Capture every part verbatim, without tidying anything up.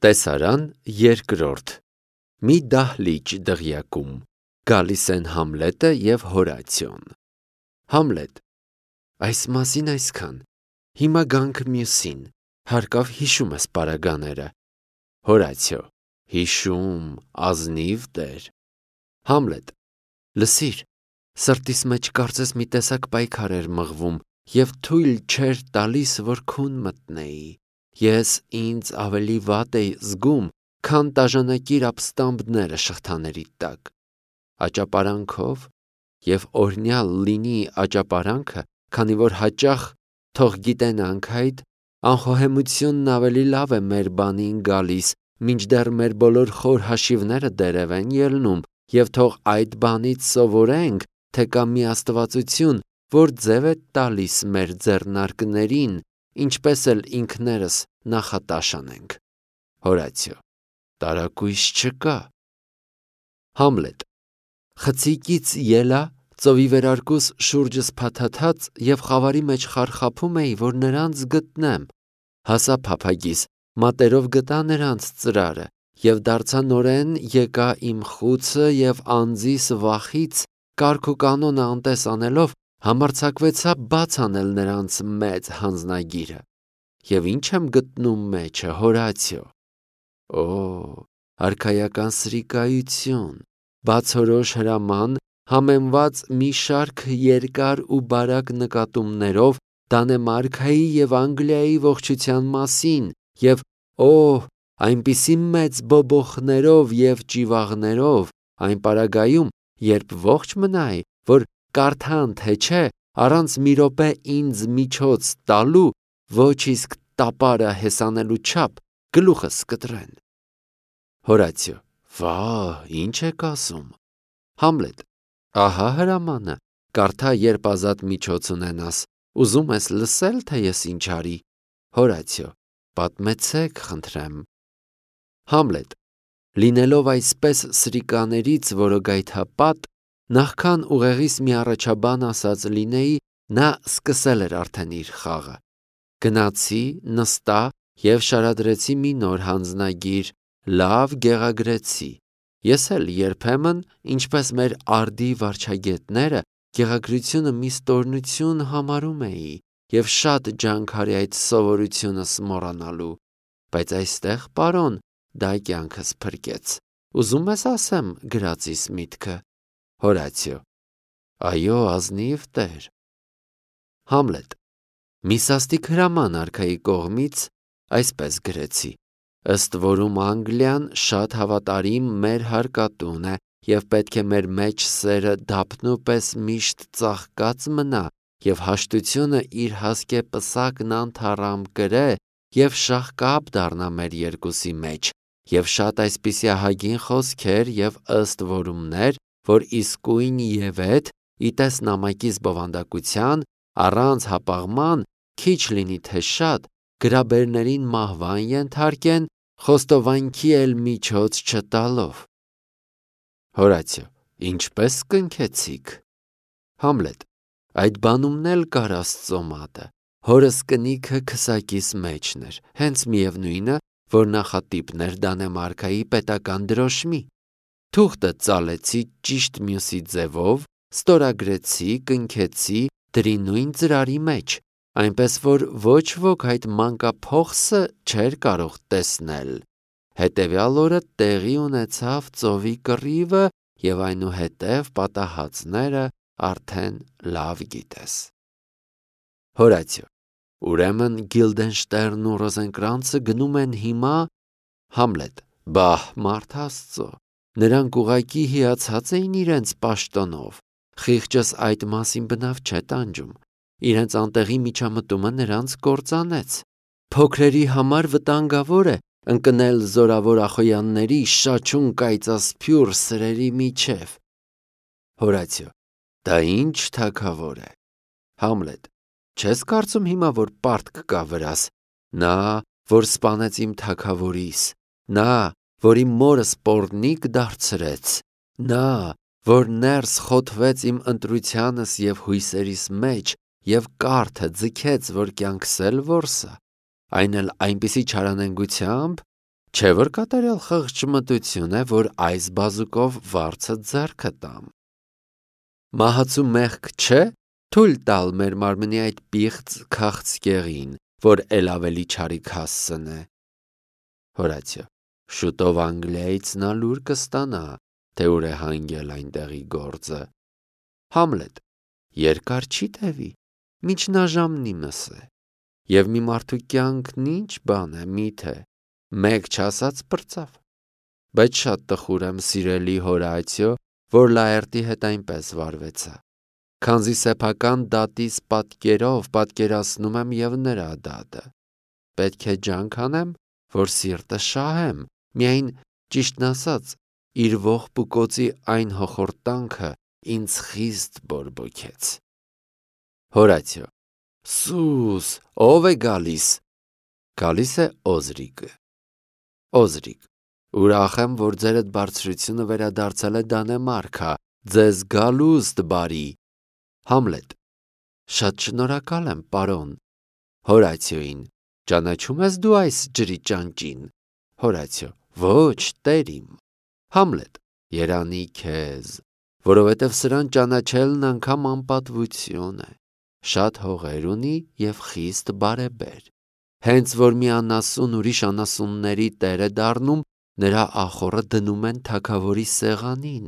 Տեսարան երկրորդ Մի դահլիճ դղյակում գալիս են Համլետը և Հորացիոն։ Համլետ. Այս մասին այսքան, հիմա գանք մյուսին, հարկավ հիշում ես պարագաները։ Հորացիո. Հիշում, ազնիվ տեր։ Համլետ. Լսիր, սրտիս մեջ կարծես մի տեսակ պայքար էր մղվում և թույլ չէր տալիս, որ քուն մտնեի։ Ես ինձ ավելի վատ էի զգում, քան տաժանակիր ապստամբները շղթաների տակ։ Աճապարանքով և օրհնյալ լինի աճապարանքը, քանի որ հաճախ թող գիտենանք այդ, անխոհեմությունն ավելի լավ է մեր բանին գալիս, մինչդեռ մեր բոլոր խոր հաշիվները դերև են ելնում, և թող այդ բանից սովորենք, թե կա մի աստվածություն, որ ձև է տալիս մեր ձեռնարկներին, ինչպես էլ ինքներս նախատաշ անենք։ Հորացիո. Տարակույս չկա։ Համլետ. Խցիկից ելա, ծովի վերարկուս շուրջս փաթաթած և խավարի մեջ խարխափում էի, որ նրանց գտնեմ, հասա փափագիս, մատերով գտա նրանց ծրարը և դարձա նորեն եկա իմ խուցը և անձիս վախից կարգ ու կանոնը անտես անելով համարձակվեցա բաց անել նրանց մեծ հանձնագիրը։ Եվ ինչ եմ գտնում մեջը, Հորացիո։ Օ, արքայական սրիկայություն, բացորոշ հրաման, համեմված մի շարք երկար ու բարակ նկատումներով Դանեմարքայի և Անգլիայի ողջության մասին և օհ, այնպիսի մեծ բոբոխներով և ճիվաղներով, այն պարագայում, երբ ողջ մնայի, որ կարդան թե չէ, առանց մի րոպե ինձ միջոց տալու, ոչ իսկ տապարը հեսանելու չափ գլուխս կտրեն։ Հորացիո. Վա՜, ինչ եք ասում։ Համլետ. Ահա հրամանը, կարդա, երբ ազատ միջոց ունենաս, ուզում ես լսել, թե ես ինչ արի։ Հորացիո. Պատմեցեք, խնդրեմ։ Համլետ. Լինելով այսպես սրիկաներից որոգայթապատ, նախքան ուղեղիս մի առաջաբան ասած լինեի, նա սկսել էր արդեն իր խաղը։ Գնացի, նստա և շարադրեցի մի նոր հանձնագիր, լավ գեղագրեցի։ Ես էլ երբեմն, ինչպես մեր արդի վարչագետները, գեղագրությունը մի ստորնություն համարում էի և շատ ջանք արի այդ սովորությունս մոռանալու, բայց այստեղ, պարոն, դա կյանքս փրկեց։ Ուզում ես ասեմ գրածիս միտքը։ Հորացիո. Այո, ազնիվ տեր։ Համլետ. Մի սաստիկ հրաման արքայի կողմից այսպես գրեցի. ըստ որում Անգլիան շատ հավատարիմ մեր հարկատուն է և պետք է մեր մեջ սերը դափնու պես միշտ ծաղկած մնա և հաշտությունը իր հասկե պսակն անթառամ կրե և շաղկապ դառնա մեր երկուսի մեջ և շատ այսպիսի ահագին խոսքեր և ըստ որումներ, որ իսկույն ևեթ, ի տես նամակիս բովանդակության, առանց հապաղման, քիչ լինի թե շատ, գրաբերներին մահվան ենթարկեն, խոստովանքի էլ միջոց չտալով։ Հորացիո. Ինչպես կնքեցիք։ Համլետ. Այդ բանումն էլ կար Աստծո մատը, հորս կնիքը քսակիս մեջն էր, հենց միևնույնը, որ նախատիպն էր Դանեմարքայի պետական դրոշմի։ Թուղթը ծալեցի ճիշտ մյուսի ձևով, ստորագրեցի, կնքեցի, դրի նույն ծրարի մեջ, այնպես որ ոչ ոք այդ մանկափոխսը չէր կարող տեսնել։ Հետևյալ օրը տեղի ունեցավ ծովի կռիվը և այնուհետև պատահածները արդեն լավ գիտես։ Հորացիո. Ուրեմն Գիլդենշտերնն ու Ռոզենկրանցը գնում են հիմա։ Համլետ. Բահ, մարդ Աստծո, նրանք ուղղակի հիացած էին իրենց պաշտոնով, խիղճս այդ մասին բնավ չէ տանջում, իրենց անտեղի միջամտումը նրանց կործանեց։ Փոքրերի համար վտանգավոր է ընկնել զորավոր ախոյանների շաչուն կայծասփյուռ սրերի միջև։ Հորացիո. Դա ինչ թագավոր է։ Համլետ. Չես կարծում հիմա, որ պարտք կա վրաս, նա, որ սպանեց իմ թագավորիս, նա, որ իմ մորս պոռնիկ դարձրեց, նա, որ ներս խոթվեց իմ ընտրությանս և հույսերիս մեջ և կարթը ձգեց, որ կյանքս էլ որսա, այն էլ այնպիսի չարանենգությամբ, Չէ՞ որ կատարյալ խղճմտություն է, որ այս բազուկով վարձը ձեռքը տամ։ Մահացու մեղք չէ թույլ տալ մեր մարմնի այդ պիղծ քաղցկեղին, որ էլ ավելի չարիք հասցնե։ Հորացիո. շուտով Անգլիայից նա լուր կստանա, թե ուր է հանգել այնտեղի գործը։ Համլետ. երկար չի տևի, միջնաժամն իմս է, և մի մարդու կյանքն ինչ բան է, միթե, մեկ չասած պրծավ։ Բայց շատ տխուր եմ, սիրելի Հորացիո, որ Լաերտի հետ այնպես վարվեցա, քանզի սեփական դատիս պատկերով պատկերացնում եմ և նրա դատը։ Պետք է ջանք անեմ, որ սիրտը շահեմ, միայն ճիշտն ասած, իր ողբուկոցի այն հոխորտանքը ինձ խիստ բորբոքեց։ Հորացիո. Սուս, ո՞վ է գալիս։ Գալիս է Օզրիկը։ Օզրիկ. ուրախ եմ, որ ձերդ բարձրությունը վերադարձել է Դանեմարքա, ձեզ գալուստ բարի։ Համլետ. շատ շնորհակալ եմ, պարոն։ Հորացիոին. ճանաչում ես դու այս ջրի ճանճին։ Հորացիո. ոչ, տեր իմ։ Համլետ. երանի քեզ, որովհետև սրան ճանաչելն անգամ անպատվություն է, շատ հողեր ունի և խիստ բարեբեր։ Հենց որ մի անասուն ուրիշ անասունների տեր է դառնում, նրա ախոռը դնում են թագավորի սեղանին։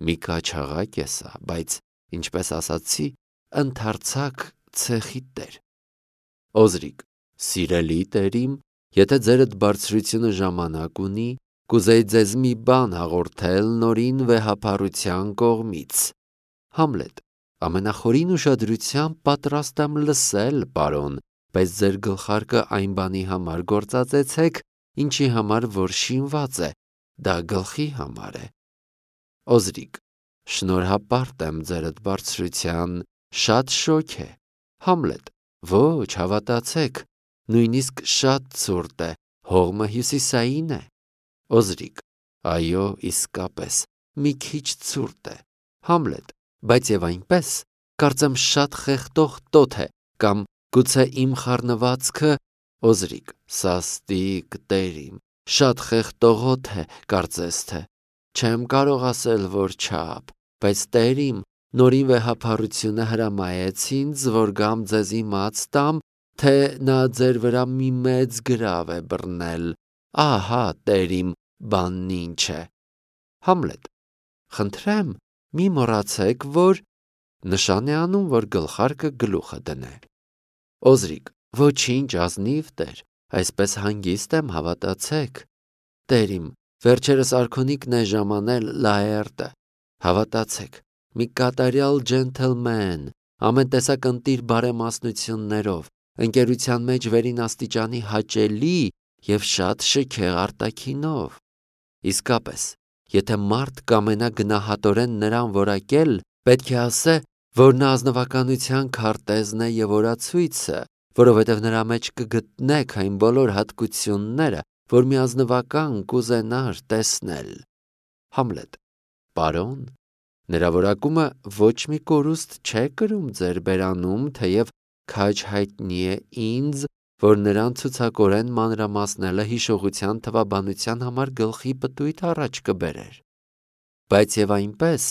Մի կաչաղակ է սա, բայց, ինչպես ասացի, ընդարձակ ցեխի տեր։ Օզրիկ. սիրելի տերիմ, եթե ձերդ բարձրությունը ժամանակ ունի, կուզեի ձեզ մի բան հաղորդել նորին վեհափառության կողմից։ Համլետ. ամենախորին ուշադրությամբ պատրաստ եմ լսել, պարոն, բայց ձեր գլխարկը այն բանի համար գործածեցեք, ինչի համար որ շինված է, դա գլխի համար է։ Օզրիկ. շնորհապարտ եմ ձերդ բարձրության, շատ շոգ է։ Համլետ. ոչ, հավատացեք, նույնիսկ շատ ցուրտ է, հողմը հյուսիսային է։ Օզրիկ. այո, իսկապես, մի քիչ ցուրտ է։ Համլետ. բայց և այնպես, կարծեմ շատ խեղդող տոթ է, կամ գուցե իմ խառնվածքը։ Օզրիկ. սաստիկ, տերիմ, շատ խեղդողոտ է, կարծես թե։ Չեմ կարող ասել, որ չափ, բայց տերիմ, նորին վեհափառությունը հրամայեց ինձ, որ գամ ձեզ իմաց տամ, թե նա ձեր վրա մի մեծ գրավ է բռնել։ Ահա, տերիմ, բանն ինչ է։ Համլետ. խնդրեմ, մի մոռացեք, որ նշան է անում, որ գլխարկը գլուխը դնե։ Օզրիկ. ոչինչ, ազնիվ տեր, այսպես հանգիստ եմ, հավատացեք։ Տերիմ, վերջերս արքունիքն է ժամանել Լաերտը, հավատացեք, մի կատարյալ ջենթլմեն, ամեն տեսակ ընտիր բարեմասնություններով, ընկերության մեջ վերին աստիճանի հաճելի և շատ շքեղ արտաքինով։ Իսկապես, եթե մարդ կամենա գնահատորեն նրան որակել, պետք է ասե, որ նա ազնվականության քարտեզն է և օրացույցը, որովհետև նրա մեջ կգտնեք այն բոլոր հատկությունները, որ մի ազնվական կուզենար տեսնել։ Համլետ. պարոն, նրա որակումը ոչ մի կորուստ չէ կրում ձեր բերանում, թեև քաջ հայտնի է ինձ, որ նրան ցուցակորեն մանրամասնելը հիշողության թվաբանության համար գլխի պտույտ առաջ կբերեր։ Բայց և այնպես,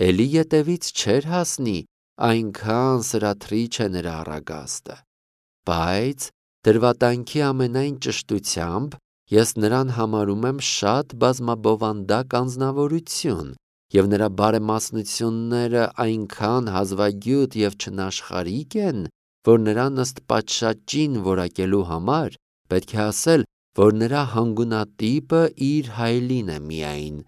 էլի ետևից չէր հասնի, այնքան սրաթրիչ է նրա առագաստը։ Բայց դրվատանքի ամենայն ճշտությամբ ես նրան համարում եմ շատ բազմաբովանդակ անձնավորություն, և նրա բարեմասնությունները այնքան հազվագյուտ և չնաշխարհիկ են, որ նրան ըստ պատշաճին որակելու համար պետք է ասել, որ նրա հանգունատիպը իր հայելին է միայն,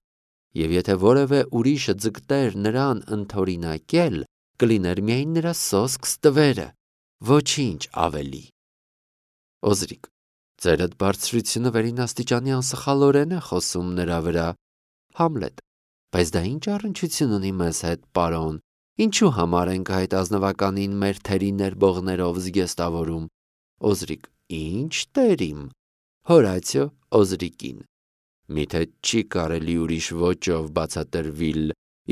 և եթե որևէ ուրիշը ձգտեր նրան ընդօրինակել, կլիներ միայն նրա սոսկ ստվերը, ոչինչ ավելի։ Օզրիկ. ձերդ բարձրությունը վերին աստիճանի անսխալորեն է խոսում նրա վրա։ Համլետ. բայց դա ինչ առնչություն ունի մեզ հետ, պարոն, ինչու համար ենք այդ ազնվականին մեր թերի ներբողներով զգեստավորում։ Օզրիկ. ինչ տերիմ։ Հորացիո Օզրիկին. միթե չի կարելի ուրիշ ոճով բացատրվիլ,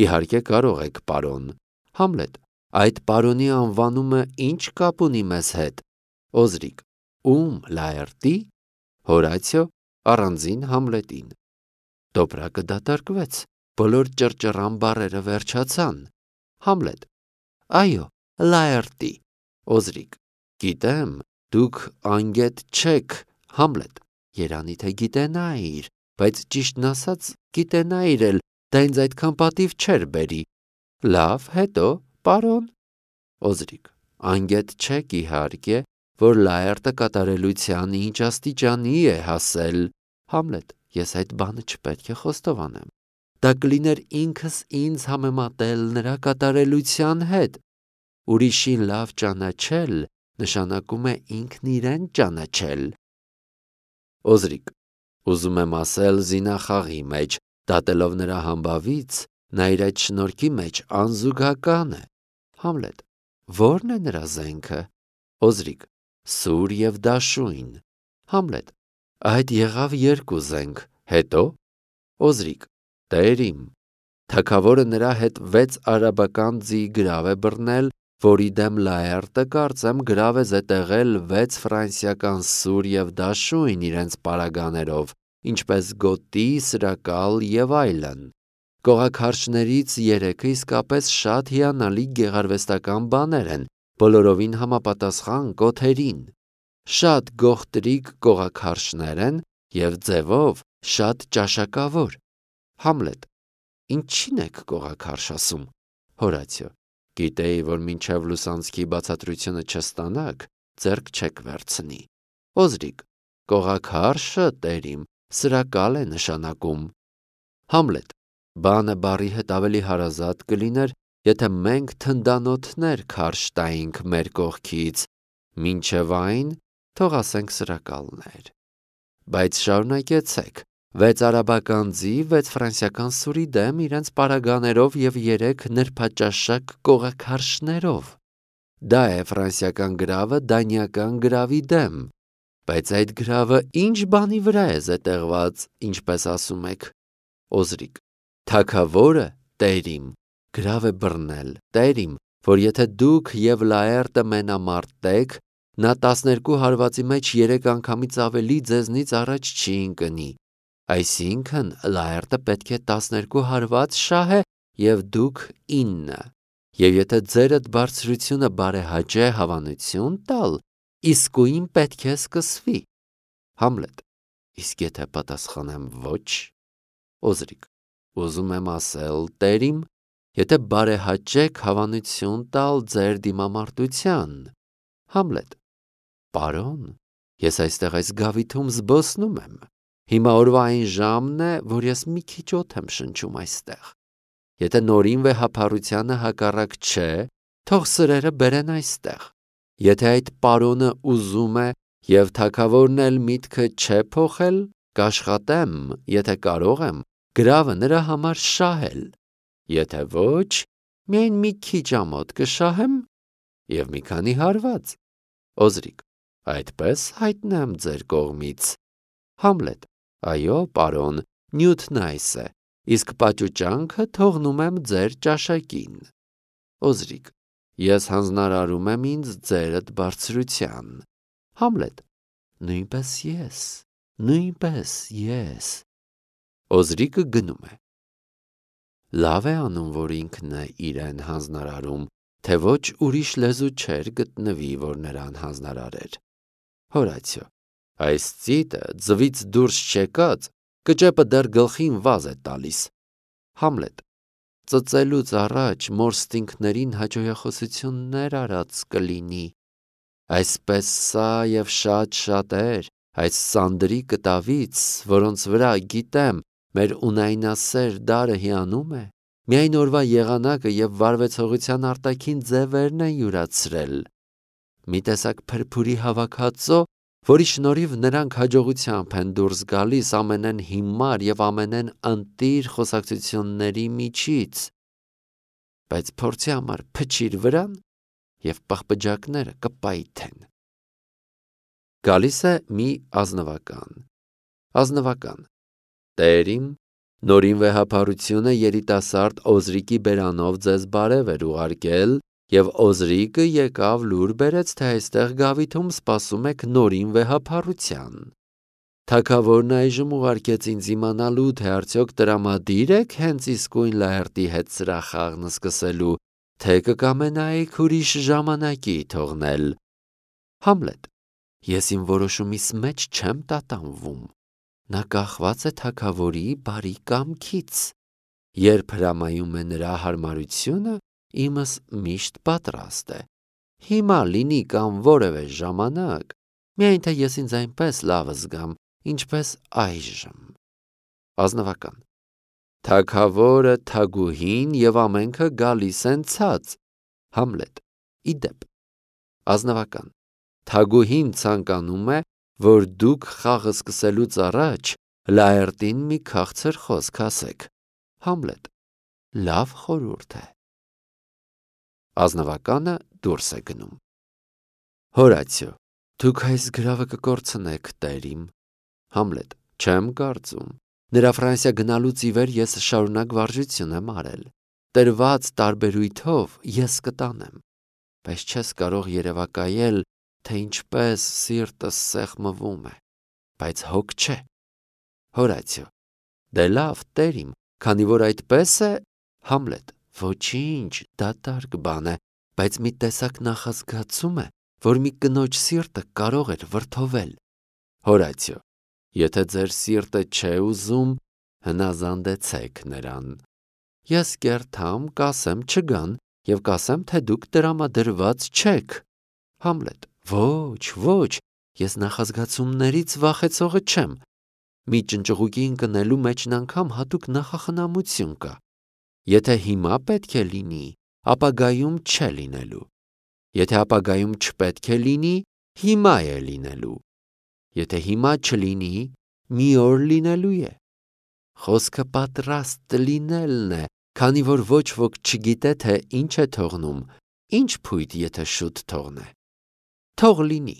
իհարկե կարող եք, պարոն։ Համլետ. այդ պարոնի անվանումը ինչ կապ ունի մեզ հետ։ Օզրիկ. ում Լաերտի։ Հորացիո առանձին Համլետին։ Դոպրակը դատարկվեց, բոլոր ճռճռան բառերը վերջացան։ Համլետ. Այո, Լաերտի։ Օզրիկ. Գիտեմ, դուք անգետ չեք։ Համլետ. Երանի թե գիտենայիր, բայց ճիշտն ասած գիտենայիր էլ, դա ինձ այդքան պատիվ չէր բերի։ Լավ, հետո, պարոն։ Օզրիկ. Անգետ չեք իհարկե, որ Լաերտը կատարելության ինչ աստիճանի է հասել։ Համլետ. Ես այդ բանը չպետք է խոստովանեմ։ Դա կլիներ ինքս ինձ համեմատել նրա կատարելության հետ։ Ուրիշին լավ ճանաչել նշանակում է ինքն իրեն ճանաչել։ Օզրիկ. Ուզում եմ ասել զինախաղի մեջ, դատելով նրա համբավից, նա իր այդ շնորհքի մեջ անզուգական է։ Համլետ. Ո՞րն է նրա զենքը։ Օզրիկ. Սուր և դաշույն։ Համլետ. Այդ եղավ երկու զենք, հետո։ Օզրիկ. Տեր իմ, թագավորը նրա հետ վեց արաբական ձի գրավ է բռնել, որի դեմ Լաերտը կարծեմ գրավ է զետեղել վեց ֆրանսիական սուր և դաշույն իրենց պարագաներով, ինչպես գոտի, սրակալ և այլն։ Կողաքարշներից երեքը իսկապես շատ հիանալի գեղարվեստական բաներ են, բոլորովին համապատասխան կոթերին։ Շատ գողտրիկ կողաքարշներ են և ձևով շատ ճաշակավոր։ Համլետ. Ինչի՞ն եք կողաքարշ ասում։ Հորացիո. Գիտեի, որ մինչև լուսանցքի բացատրությունը չստանաք, ձեռք չեք վերցնի։ Օզրիկ. Կողաքարշը, տեր իմ, սրակալ է նշանակում։ Համլետ. Բանը բառի հետ ավելի հարազատ կլիներ, եթե մենք թնդանոթներ քարշ տայինք մեր կողքից, մինչև այն թող ասենք սրակալներ։ Բայց շարունակեցեք, վեց արաբական ձի, վեց ֆրանսիական սուրի դեմ իրենց պարագաներով և երեք նրբաճաշակ կողաքարշներով։ Դա է ֆրանսիական գրավը դանիական գրավի դեմ, բայց այդ գրավը ինչ բանի վրա է զետեղված, ինչպես ասում եք։ Օզրիկ. Թագավորը, տեր իմ, գրավ է բռնել, տեր իմ, որ եթե դուք և Լաերտը մենամարտեք, նա տասներկու հարվածի մեջ երեք անգամից ավելի ձեզնից առաջ չի ընկնի։ Այսինքն Լաերտը պետք է տասներկու հարված շահե և դուք ինը։ Եվ եթե ձերդ բարձրությունը բարեհաճե հավանություն տալ, իսկույն պետք է սկսվի։ Համլետ. Իսկ եթե պատասխանեմ ոչ։ Օզրիկ. Ուզում եմ ասել, տեր իմ, եթե բարեհաճեք հավանություն տալ ձեր դիմամարտության։ Համլետ. Պարոն, ես այստեղ այս գավիթում զբոսնում եմ։ Հիմա օրվա այն ժամն է, որ ես մի քիչ օդ եմ շնչում այստեղ։ Եթե նորին վեհափառությանը հակառակ չէ, թող սրերը բերեն այստեղ։ Եթե այդ պարոնը ուզում է և թագավորն էլ միտքը չէ փոխել, կաշխատեմ, եթե կարող եմ, գրավը նրա համար շահել։ Եթե ոչ, միայն մի քիչ ամոթ կշահեմ և մի քանի հարված։ Օզրիկ. Այդպես հայտնեմ ձեր կողմից։ Համլետ. Այո, պարոն, նյութն այս է, իսկ պաճուճանքը թողնում եմ ձեր ճաշակին։ Օզրիկ. Ես հանձնարարում եմ ինձ ձերդ բարձրության։ Համլետ. Նույնպես ես, նույնպես ես։ Օզրիկը գնում է։ Լավ է անում, որ ինքն է իրեն հանձնարարում, թե ոչ ուրիշ լեզու չէր գտնվի, որ նրան հանձնարարեր։ Հորացիո. Այս ծիտը ձվից դուրս չեկած, կճեպը դեռ գլխին վազ է տալիս։ Համլետ. Ծծելուց առաջ մորստինքներին հաջողախոսություններ արած կլինի։ Այսպես սա և շատ շատեր, այս սանդրի կտավից, որոնց վրա գիտեմ, մեր ունայնասեր դարը հիանում է, միայն օրվա եղանակը և վարվեցողության արտաքին ձևերն են յուրացրել։ Մի տեսակ փրփուրի հավաքածո, որի շնորհիվ նրանք հաջողությամբ են դուրս գալիս ամենեն հիմար և ամենեն ընտիր խոսակցությունների միջից։ Բայց փորձի համար փչիր վրան և պղպջակները կպայթեն։ Գալիս է մի ազնվական։ Ազնվական. Տեր իմ, նորին վեհափառությունը երիտասարդ Օզրիկի բերանով ձեզ բարև էր ուղարկել, և Օզրիկը եկավ լուր բերեց, թե այստեղ գավիթում սպասում եք նորին վեհափառության։ Թագավորն այժմ ուղարկեց ինձ իմանալու, թե արդյոք տրամադիր եք հենց իսկույն Լաերտի հետ սրա խաղն սկսելու, թե կկամենայիք ուրիշ ժամանակի թողնել։ Համլետ. Ես իմ որոշումիս մեջ չեմ տատանվում։ Նա կախված է թագավորի բարի կամքից։ Երբ հրամայում է նրա հարմարությունը, իմս միշտ պատրաստ է։ Հիմա լինի կամ որևէ ժամանակ, միայն թե ես ինձ այնպես լավ զգամ, ինչպես այժմ։ Ազնվական. Թագավորը, թագուհին և ամենքը գալիս են ցած։ Համլետ. Իդեպ. Ազնվական. Թագուհին ցանկանում է, որ դուք խաղը սկսելուց առաջ Լաերտին մի քաղցր խոսք ասեք։ Համլետ. Լավ խորհուրդ է։ Ազնվականը դուրս է գնում։ Հորացիո. Դուք այս գրավը կկորցնեք, տերիմ։ Համլետ. Չեմ կարծում։ Նրա Ֆրանսիա գնալուց ի վեր ես շարունակ վարժություն եմ արել։ Տրված տարբերույթով ես կտանեմ, բայց չես կարող երևակայել, թե ինչպես սիրտս սեղմվում է, բայց հոգ չէ։ Հորացիո. Դե լավ, տերիմ, քանի որ այդպես է։ Համլետ. Ոչինչ, դատարկ բան է, բայց մի տեսակ նախազգացում է, որ մի կնոջ սիրտը կարող էր վրդովել։ Հորացիո. Եթե ձեր սիրտը չէ ուզում, հնազանդեցեք նրան։ Ես կերթամ, կասեմ չգան և կասեմ, թե դուք տրամադրված չեք։ Համլետ. Ոչ, ոչ, ես նախազգացումներից վախեցողը չեմ։ Մի ճնճղուկի ընկնելու մեջն անգամ հատուկ նախախնամություն կա։ Եթե հիմա պետք է լինի, ապագայում չէ լինելու։ Եթե ապագայում չպետք է լինի, հիմա է լինելու։ Եթե հիմա չլինի, մի օր լինելու է։ Խոսքը պատրաստ լինելն է, քանի որ ոչ ոք չգիտե, թե ինչ է թողնում, ինչ փույթ եթե շուտ թողնե։ Թող լինի։